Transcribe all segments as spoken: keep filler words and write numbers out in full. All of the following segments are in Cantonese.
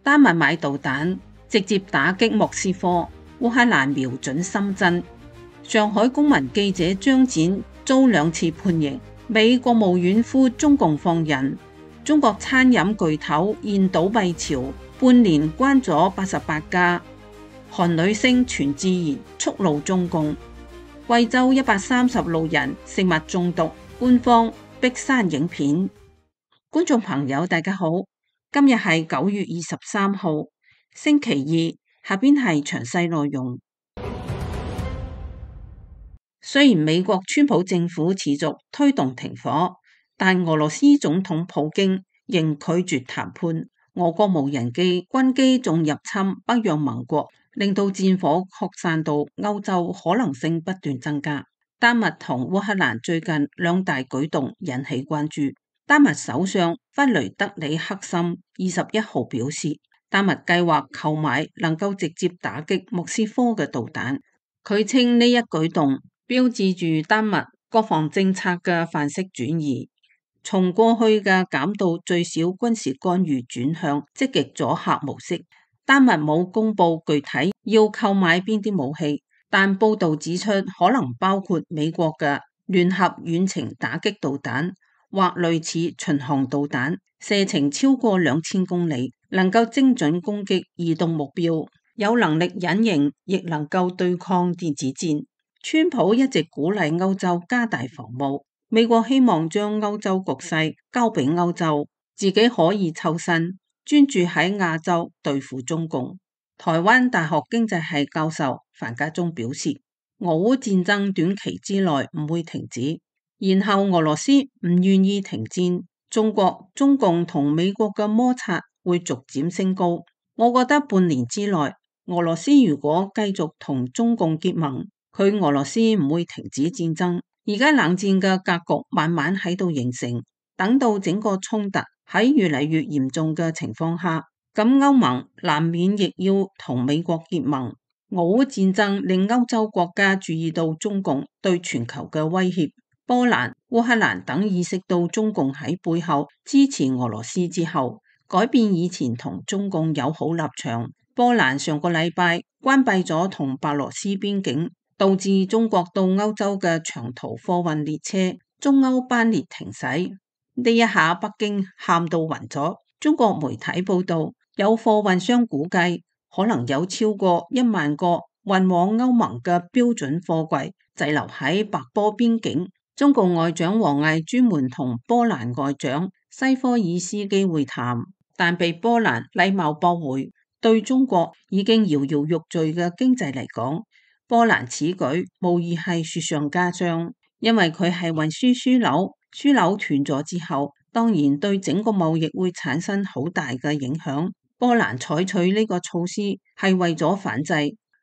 丹麥買導彈直接打擊莫斯科，烏克蘭瞄準深圳。上海公民記者張展遭兩次判刑，美國務院呼中共放人。中國餐飲巨頭現倒閉潮，半年關咗八十八家。韓女星全智賢觸怒中共。貴州一百三十路人食物中毒，官方逼刪影片。觀眾朋友大家好，今日係九月二十三號星期二，下邊係詳細內容。雖然美國川普政府持續推動停火，但俄羅斯總統普京仍拒絕談判。俄國無人機、軍機仲入侵北約盟國，令到戰火擴散到歐洲可能性不斷增加。丹麥同烏克蘭最近兩大舉動引起關注。丹麥首相弗雷德里克森二十一號表示，丹麥計劃購買能夠直接打擊莫斯科嘅導彈。佢稱呢一舉動標誌住丹麥國防政策嘅範式轉移，從過去嘅減到最少軍事干預轉向積極阻嚇模式。丹麥冇公布具體要購買邊啲武器，但報道指出可能包括美國嘅聯合遠程打擊導彈或類似巡航導彈，射程超過兩千公里，能夠精準攻擊移動目標，有能力隱形，亦能夠對抗電子戰。川普一直鼓勵歐洲加大防務，美國希望將歐洲局勢交俾歐洲，自己可以抽身，專注喺亞洲對付中共。台灣大學經濟系教授樊家忠表示，俄烏戰爭短期之內唔會停止，然後俄羅斯唔願意停戰，中國、中共同美國嘅摩擦會逐漸升高。我覺得半年之內，俄羅斯如果繼續同中共結盟，佢俄羅斯唔會停止戰爭。而家冷戰嘅格局慢慢喺度形成，等到整個衝突喺越嚟越嚴重嘅情況下，咁歐盟難免亦要同美國結盟。俄烏戰爭令歐洲國家注意到中共對全球嘅威脅，波蘭、烏克蘭等意識到中共喺背後支持俄羅斯之後，改變以前同中共友好立場。波蘭上個禮拜關閉咗同白羅斯邊境，導致中國到歐洲嘅長途貨運列車中歐班列停駛。呢一下北京喊到暈咗。中國媒體報道，有貨運商估計可能有超過一萬個運往歐盟嘅標準貨櫃滯留喺白波邊境。中共外長王毅專門同波蘭外長西科爾斯基會談，但被波蘭禮貌駁回。對中國已經搖搖欲墜嘅經濟嚟講，波蘭此舉無疑係雪上加霜，因為佢係運輸樞紐，樞紐斷咗之後，當然對整個貿易會產生好大嘅影響。波蘭採取呢個措施係為咗反制，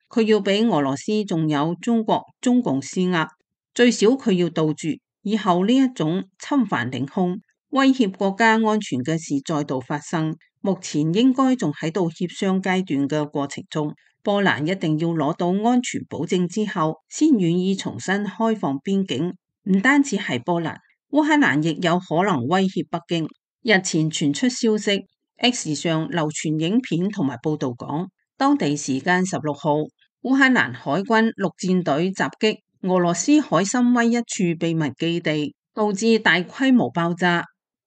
佢要俾俄羅斯仲有中國中共施壓，最少佢要杜絕以後呢一種侵犯領空、威脅國家安全嘅事再度發生。目前應該仲喺度協商階段嘅過程中，波蘭一定要攞到安全保證之後，先願意重新開放邊境。唔單止係波蘭，烏克蘭亦有可能威脅北京。日前傳出消息 ，X 上流傳影片同埋報道講，當地時間十六號，烏克蘭海軍陸戰隊襲擊俄羅斯海參崴一處秘密基地，導致大規模爆炸。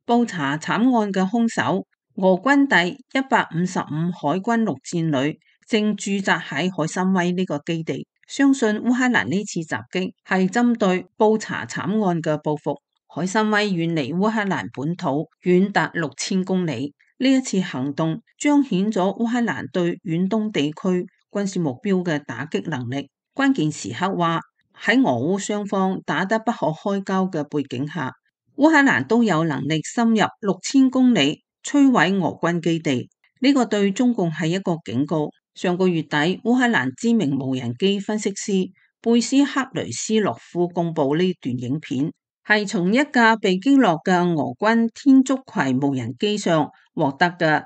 調查慘案嘅兇手，俄軍第一百五十五海軍陸戰旅正駐紮喺海參崴呢個基地，相信烏克蘭呢次襲擊係針對調查慘案嘅報復。海參崴遠離烏克蘭本土遠達六千公里，呢一次行動彰顯咗烏克蘭對遠東地區軍事目標嘅打擊能力。關鍵時刻話喺俄烏雙方打得不可開交嘅背景下，烏克蘭都有能力深入六千公里摧毀俄軍基地，呢個對中共係一個警告。上個月底，烏克蘭知名無人機分析師貝斯克雷斯洛夫公布呢段影片，係從一架被擊落嘅俄軍天竺葵無人機上獲得嘅。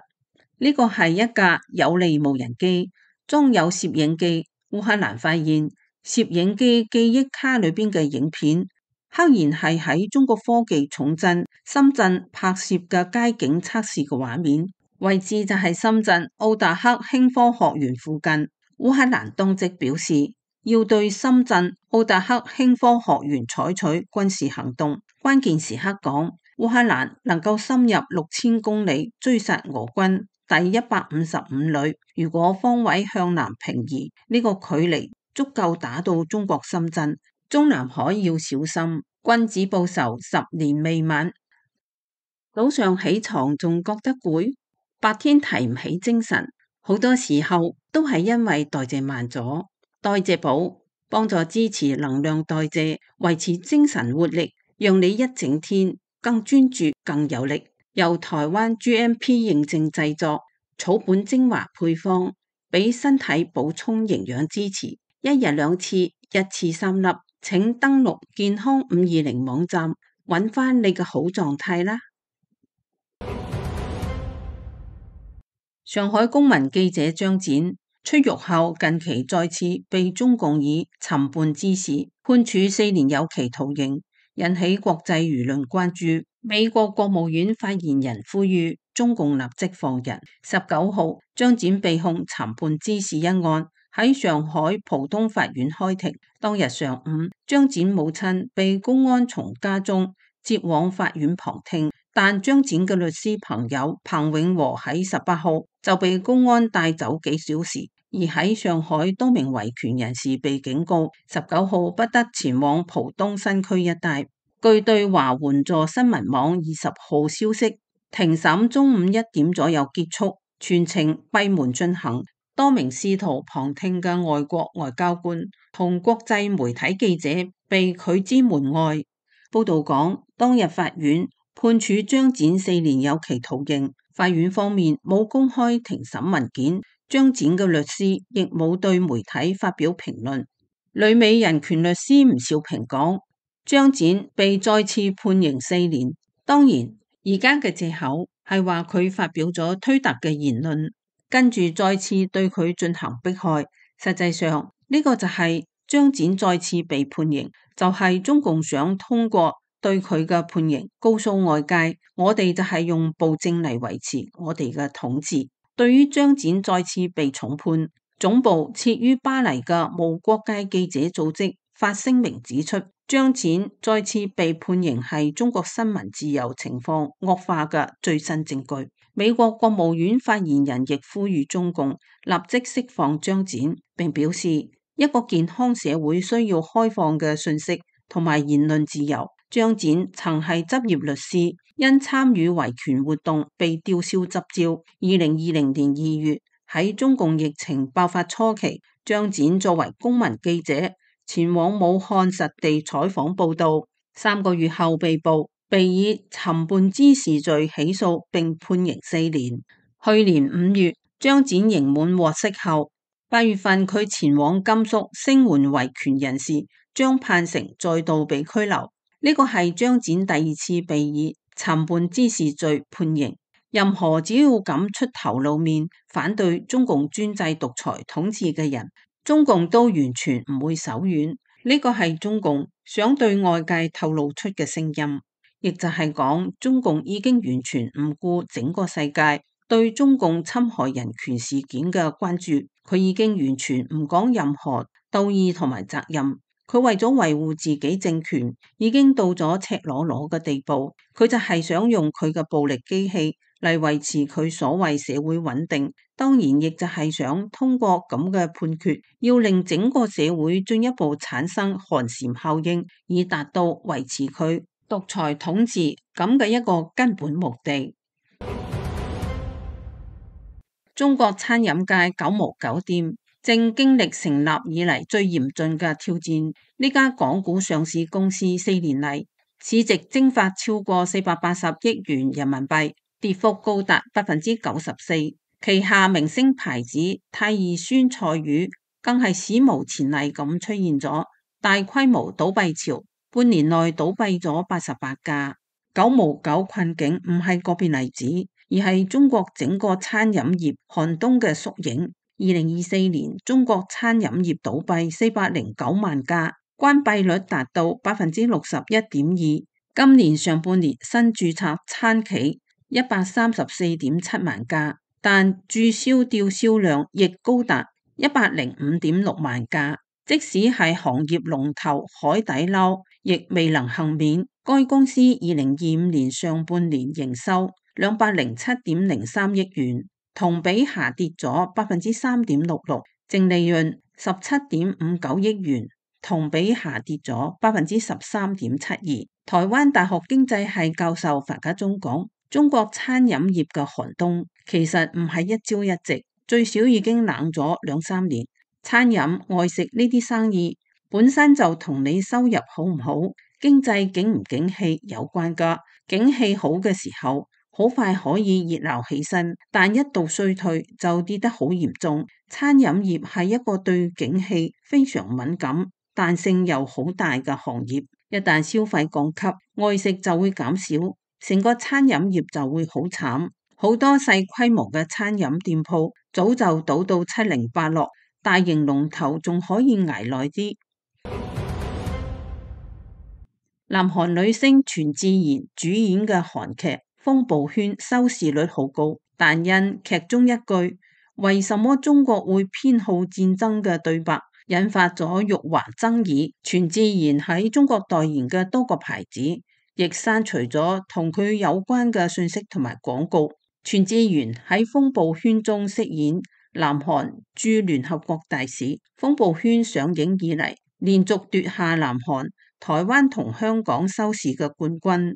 呢個係一架有利無人機，裝有攝影機。烏克蘭發現攝影機記憶卡裏邊嘅影片，赫然係喺中國科技重鎮深圳拍攝嘅街景測試嘅畫面。位置就係深圳奧達克輕科學園附近。烏克蘭當即表示要對深圳奧達克輕科學園採取軍事行動。關鍵時刻講，烏克蘭能夠深入六千公里追殺俄軍第一百五十五旅，如果方位向南平移，呢、這個距離足夠打到中國深圳。中南海要小心，君子報仇十年未晚。早上起床仲覺得攰，白天提唔起精神，好多時候都係因為代謝慢咗。代謝寶幫助支持能量代謝，維持精神活力，讓你一整天更專注、更有力。由台灣 G M P 認證製作，草本精華配方，俾身體補充營養支持。一日兩次，一次三粒。請登錄健康五二零網站，揾翻你嘅好狀態啦。上海公民記者張展出獄後，近期再次被中共以尋叛滋事判處四年有期徒刑，引起國際輿論關注。美國國務院發言人呼籲中共立即放人。十九號，張展被控尋叛滋事一案喺上海浦東法院開庭。當日上午，張展母親被公安從家中接往法院旁聽，但張展嘅律師朋友彭永和喺十八號就被公安帶走幾小時。而喺上海，多名維權人士被警告十九號不得前往浦東新區一帶。據對華援助新聞網二十號消息，庭審中午一點左右結束，全程閉門進行。多名試圖旁聽嘅外國外交官同國際媒體記者被拒之門外。報道講，當日法院判處張展四年有期徒刑，法院方面冇公開庭審文件，張展嘅律師亦冇對媒體發表評論。旅美人權律師吳兆平講，張展被再次判刑四年，當然而家嘅借口係話佢發表咗推特嘅言論，跟住再次對佢進行迫害。實際上呢、這個就係張展再次被判刑，就係、是、中共想通過對佢嘅判刑告訴外界，我哋就係用暴政嚟維持我哋嘅統治。對於張展再次被重判，總部設於巴黎嘅無國界記者組織發聲明指出，張展再次被判刑係中國新聞自由情況惡化嘅最新證據。美國國務院發言人亦呼籲中共立即釋放張展，並表示一個健康社會需要開放嘅信息同埋言論自由。張展曾係執業律師，因參與維權活動被吊銷執照。二零二零年二月喺中共疫情爆發初期，張展作為公民記者前往武漢實地採訪報道，三個月後被捕，被以尋叛滋事罪起訴並判刑四年。去年五月，張展刑滿獲釋後，八月份佢前往甘肅聲援維權人士張盼成，再度被拘留。呢個係張展第二次被以尋叛滋事罪判刑。任何只要敢出頭露面反對中共專制獨裁統治嘅人，中共都完全唔會手軟。呢個係中共想對外界透露出嘅聲音，亦就係講中共已經完全唔顧整個世界對中共侵害人權事件嘅關注，佢已經完全唔講任何道義同埋責任。佢為咗維護自己政權，已經到咗赤裸裸嘅地步。佢就係想用佢嘅暴力機器嚟維持佢所謂社會穩定，當然亦就係想通過咁嘅判決，要令整個社會進一步產生寒蟬效應，以達到維持佢獨裁統治咁嘅一個根本目的。中國餐飲界九毛九店正經歷成立以嚟最嚴峻嘅挑戰。呢家港股上市公司四年嚟市值蒸發超過四百八十億元人民幣，跌幅高達百分之九十四。旗下明星牌子泰義酸菜魚更係史無前例咁出現咗大規模倒閉潮，半年內倒閉咗八十八家。九毛九困境唔係個別例子，而係中國整個餐飲業寒冬嘅縮影。二零二四年，中國餐飲業倒閉四百零九萬家，關閉率達到百分之六十一點二。今年上半年新註冊餐企一百三十四點七萬架，但註銷吊銷量亦高達一百零五點六萬架。即使係行業龍頭海底撈，亦未能幸免。該公司二零二五年上半年營收兩百零七點零三億元，同比下跌咗百分之三點六六，淨利潤十七點五九億元，同比下跌咗百分之十三點七二。台灣大學經濟系教授樊家忠講，中國餐飲業嘅寒冬其實唔係一朝一夕，最少已經冷咗兩三年。餐飲外食呢啲生意本身就同你收入好唔好、經濟景唔景氣有關噶。景氣好嘅時候，好快可以熱鬧起身，但一到衰退就跌得好嚴重。餐飲業係一個對景氣非常敏感、彈性又好大嘅行業。一旦消費降級，外食就會減少，成個餐飲業就會好慘。好多細規模嘅餐飲店鋪早就倒到七零八落。大型龍頭仲可以捱耐啲。南韓女星全智賢主演嘅韓劇《風暴圈》收視率好高，但因劇中一句為什麼中國會偏好戰爭嘅對白，引發咗辱華爭議。全智賢喺中國代言嘅多個牌子亦刪除咗同佢有關嘅信息同埋廣告。全智賢喺《風暴圈》中飾演南韓駐聯合國大使。風暴圈上映以嚟，連續奪下南韓、台灣同香港收視嘅冠軍。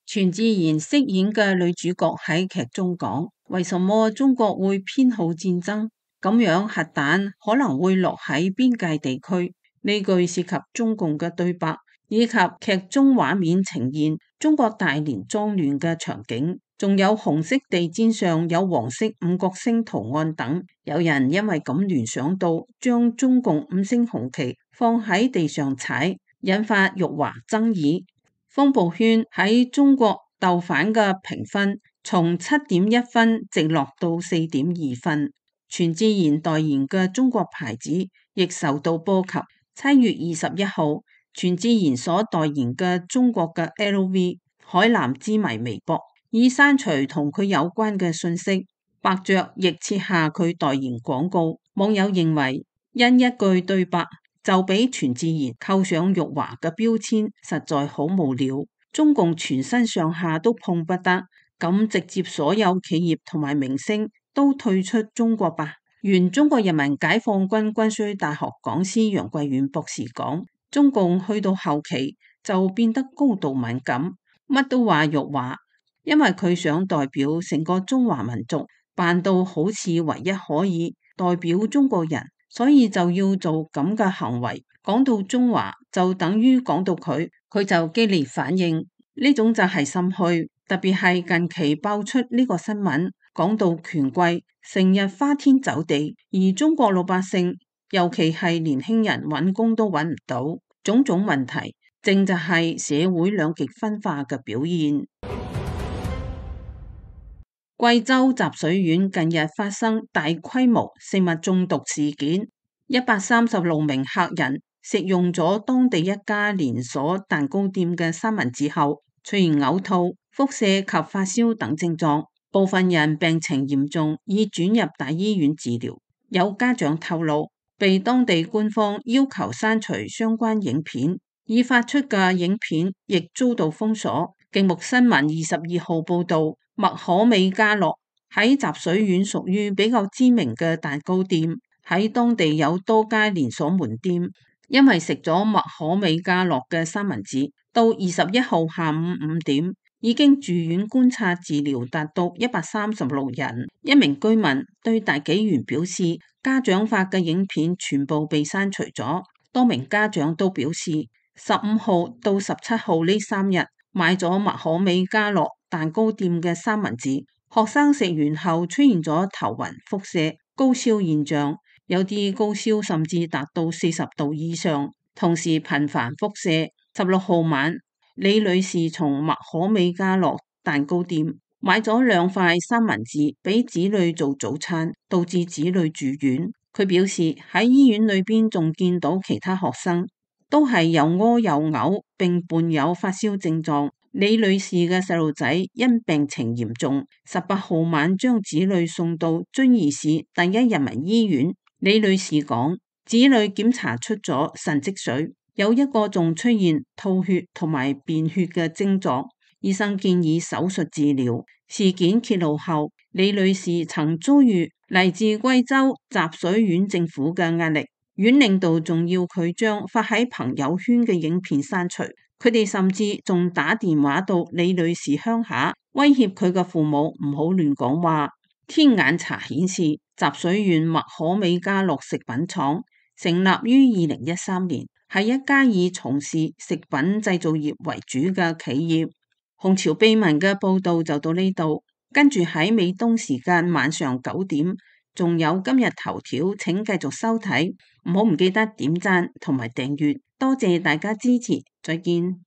全智賢飾演嘅女主角喺劇中講：為什麼中國會偏好戰爭？咁樣核彈可能會落喺邊界地區。呢句涉及中共嘅對白，以及劇中畫面呈現中國大連髒亂嘅場景。仲有紅色地氈上有黃色五角星圖案等，有人因為咁聯想到將中共五星紅旗放喺地上踩，引發辱華爭議。風暴圈喺中國豆瓣嘅評分從七點一分直落到四點二分。全智賢代言嘅中國牌子亦受到波及。七月二十一號，全智賢所代言嘅中國嘅 L V 海藍之謎微博已刪除同佢有關嘅信息，百爵亦撤下佢代言廣告。網友認為，因一句對白就俾全智賢扣上辱華嘅標籤，實在好無聊。中共全身上下都碰不得，咁直接所有企業同埋明星都退出中國吧。原中國人民解放軍軍需大學講師楊貴遠博士講，中共去到後期就變得高度敏感，乜都話辱華。因為佢想代表成個中華民族，扮到好似唯一可以代表中國人，所以就要做咁嘅行為。講到中華就等於講到佢，佢就激烈反應，呢種就係心虛。特別係近期爆出呢個新聞，講到權貴成日花天酒地，而中國老百姓，尤其係年輕人揾工都揾唔到，種種問題，正就係社會兩極分化嘅表現。貴州集水縣近日發生大規模食物中毒事件，一百三十六名客人食用咗當地一家連鎖蛋糕店嘅三文治後，出現嘔吐、腹瀉及發燒等症狀，部分人病情嚴重，已轉入大醫院治療。有家長透露，被當地官方要求刪除相關影片，已發出嘅影片亦遭到封鎖。鏡目新聞二十二號報道，麥可美家樂喺集水縣屬於比較知名嘅蛋糕店，喺當地有多家連鎖門店。因為食咗麥可美家樂嘅三文治，到二十一號下午五點已經住院觀察治療，達到一百三十六人。一名居民對大紀元表示，家長發嘅影片全部被刪除咗。多名家長都表示，十五號到十七號呢三日買咗麥可美家樂蛋糕店嘅三文治，學生食完後出現咗頭暈、腹瀉、高燒現象，有啲高燒甚至達到四十度以上，同時頻繁腹瀉。十六號晚，李女士從麥可美家樂蛋糕店買咗兩塊三文治俾子女做早餐，導致子女住院。佢表示喺醫院裏邊仲見到其他學生都係又屙又嘔，並伴有發燒症狀。李女士嘅細路仔因病情嚴重，十八號晚將子女送到遵義市第一人民醫院。李女士講，子女檢查出咗腎積水，有一個仲出現吐血同埋便血嘅症狀，醫生建議手術治療。事件揭露後，李女士曾遭遇嚟自貴州集水縣政府嘅壓力，縣領導仲要佢將發喺朋友圈嘅影片刪除。佢哋甚至仲打電話到李女士鄉下，威脅佢嘅父母唔好亂講話。天眼查顯示，集水縣麥可美家樂食品廠成立於二零一三年，係一家以從事食品製造業為主嘅企業。紅潮秘聞嘅報道就到呢度，跟住喺美東時間晚上九點，仲有今日頭條，請繼續收睇，唔好唔記得點讚同埋訂閱，多謝大家支持，再見。